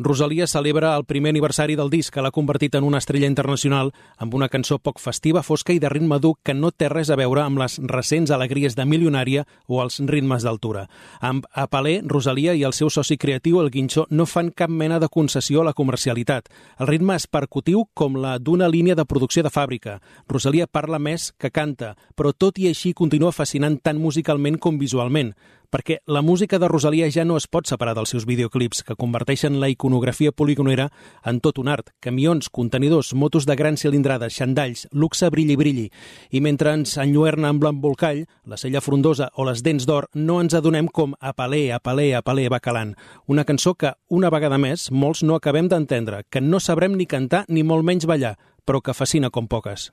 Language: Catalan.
Rosalía celebra el primer aniversari del disc, que l'ha convertit en una estrella internacional amb una cançó poc festiva, fosca i de ritme dur que no té res a veure amb les recents alegries de Milionària o els ritmes d'altura. Amb Apalé, Rosalía i el seu soci creatiu, el Guincho, no fan cap mena de concessió a la comercialitat. El ritme és percutiu com la d'una línia de producció de fàbrica. Rosalía parla més que canta, però tot i així continua fascinant tant musicalment com visualment, perquè la música de Rosalía ja no es pot separar dels seus videoclips, que converteixen la iconografia poligonera en tot un art. Camions, contenidors, motos de gran cilindrada, xandalls, luxe brilli-brilli. I mentre ens enlluerna amb l'embolcall, la cella frondosa o les dents d'or, no ens adonem com Apalé, Apalé, Apalé va calant. Una cançó que, una vegada més, molts no acabem d'entendre, que no sabrem ni cantar ni molt menys ballar, però que fascina com poques.